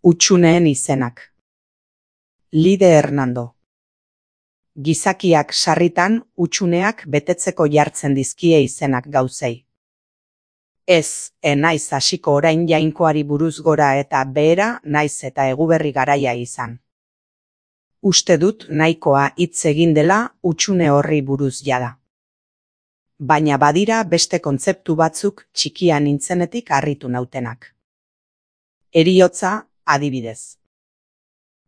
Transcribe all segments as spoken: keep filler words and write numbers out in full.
Hutsuneen izenak. Lide Hernando. Gizakiak sarritan hutsuneak betetzeko jartzen dizkie izenak gauzei. Ez, e naiz hasiko orain jainkoari buruz gora eta behera naiz eta eguberri garaia izan. Uste dut nahikoa hitz egin dela hutsune horri buruz jada. Baina badira beste kontzeptu batzuk txikia nintzenetik harritu nautenak. Heriotza, adibidez.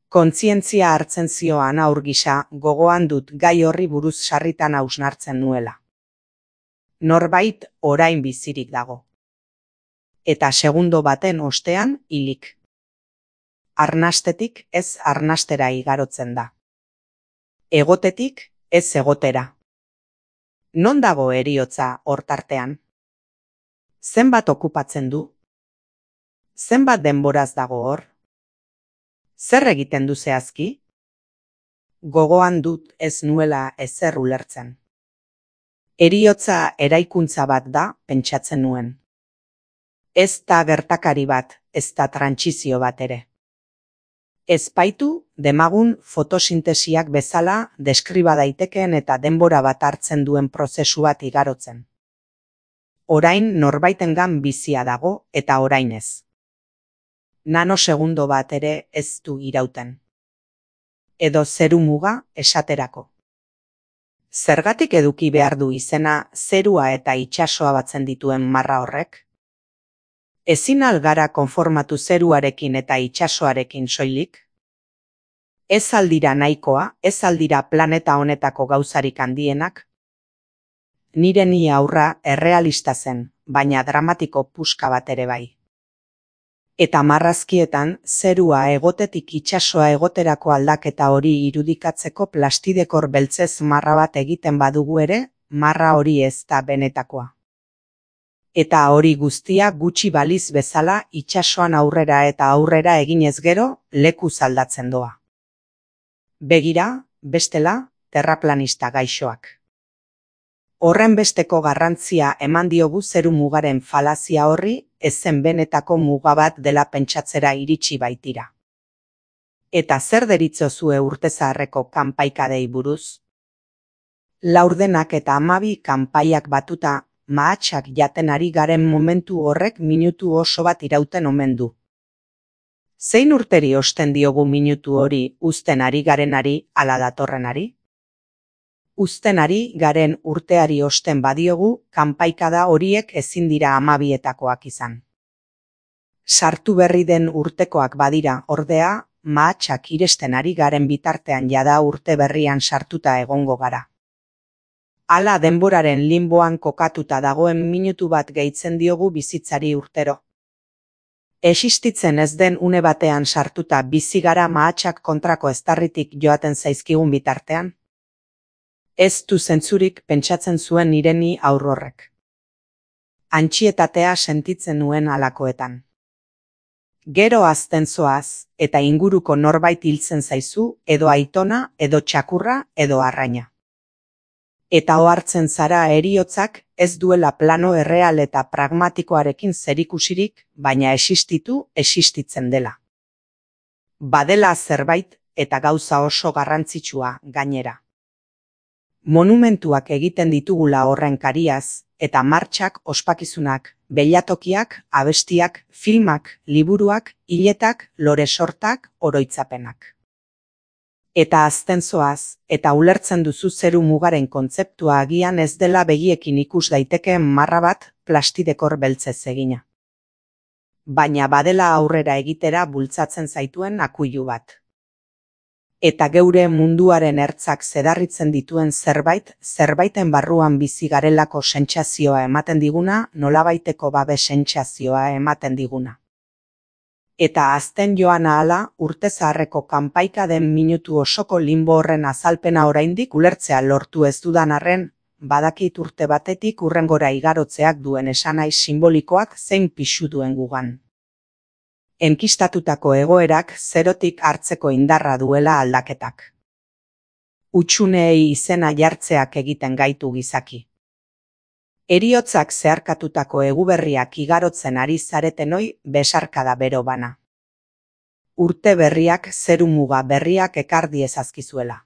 Kontzientzia hartzen zioan haur gisa gogoan dut gai horri buruz sarritan hausnartzen nuela. Norbait orain bizirik dago. Eta segundo baten ostean hilik. Arnastetik ez arnastera igarotzen da. Egotetik ez egotera. Non dago heriotza hortartean? Zenbat okupatzen du? Zenbat denboraz dago hor? Zer egiten du zehazki? Gogoan dut ez nuela ezer ulertzen. Heriotza eraikuntza bat da, pentsatzen nuen. Ez da gertakari bat, ez da trantsizio bat ere. Ez baitu, demagun fotosintesiak bezala deskriba daitekeen eta denbora bat hartzen duen prozesu bat igarotzen. Orain norbaitengan bizia dago eta orain ez. Nanosegundo bat ere ez du irauten. Edo zeru muga esaterako. Zergatik eduki behar du izena zerua eta itsasoa batzen dituen marra horrek? Ezin al gara konformatu zeruarekin eta itsasoarekin soilik? Ez aldira nahikoa, ez aldira planeta honetako gauzarik handienak? Nire ni aurra errealista zen, baina dramatiko puska bat ere bai. Eta marrazkietan zerua egotetik itsasoa egoterako aldaketa hori irudikatzeko plastidekor beltzez marra bat egiten badugu ere, marra hori ez da benetakoa. Eta hori guztia gutxi baliz bezala itsasoan aurrera eta aurrera eginez gero lekuz aldatzen doa. Begira, bestela, terraplanista gaixoak. Horren besteko garrantzia eman diogu zeru mugaren falazia horri, ezen benetako muga bat dela pentsatzera iritsi baitira. Eta zer deritzozue urte zaharreko kanpaikadei buruz? Laurdenak eta hamabi kanpaiak batuta, mahatsak jaten ari garen momentu horrek minutu oso bat irauten omen du. Zein urteri osten diogu minutu hori uzten ari garenari ala datorrenari? Uzten ari garen urteari osten badiogu, kanpaikada horiek ezin dira hamabietakoak izan. Sartu berri den urtekoak badira, ordea, mahatsak iresten ari garen bitartean jada urte berrian sartuta egongo gara. Hala denboraren limboan kokatuta dagoen minutu bat gehitzen diogu bizitzari urtero. Existitzen ez den une batean sartuta bizi gara mahatsak kontrako eztarritik joaten zaizkigun bitartean? Ez du zentzurik pentsatzen zuen nireni aurrorrek. Antsietatea sentitzen nuen halakoetan. Gero hazten zoaz, eta inguruko norbait hiltzen zaizu, edo aitona, edo txakurra, edo arraina. Eta ohartzen zara heriotzak ez duela plano erreal eta pragmatikoarekin zerikusirik, baina existitu, existitzen dela. Badela zerbait eta gauza oso garrantzitsua gainera. Monumentuak egiten ditugula horren kariaz, eta martxak, ospakizunak, beilatokiak, abestiak, filmak, liburuak, hiletak, lore sortak, oroitzapenak. Eta hazten zoaz, eta ulertzen duzu zeru mugaren kontzeptua agian ez dela begiekin ikus daitekeen marra bat plastidekor beltzez egina. Baina badela aurrera egitera bultzatzen zaituen akuilu bat. Eta geure munduaren ertzak zedarritzen dituen zerbait, zerbaiten barruan bizi garelako sentsazioa ematen diguna, nolabaiteko babe sentsazioa ematen diguna. Eta azten joan ahala, urte zaharreko kanpaika den minutu osoko limbo horren azalpena oraindik ulertzea lortu ez dudan arren, badakit urte batetik hurrengora igarotzeak duen esanahi simbolikoak zein pisu duen gugan. Enkistatutako egoerak zerotik hartzeko indarra duela aldaketak. Hutsuneei izena jartzeak egiten gaitu gizaki. Heriotzak zeharkatutako eguberriak igarotzen ari zaretenoi besarkada bero bana. urte berriak zeru muga berriak ekar diezazkizuela.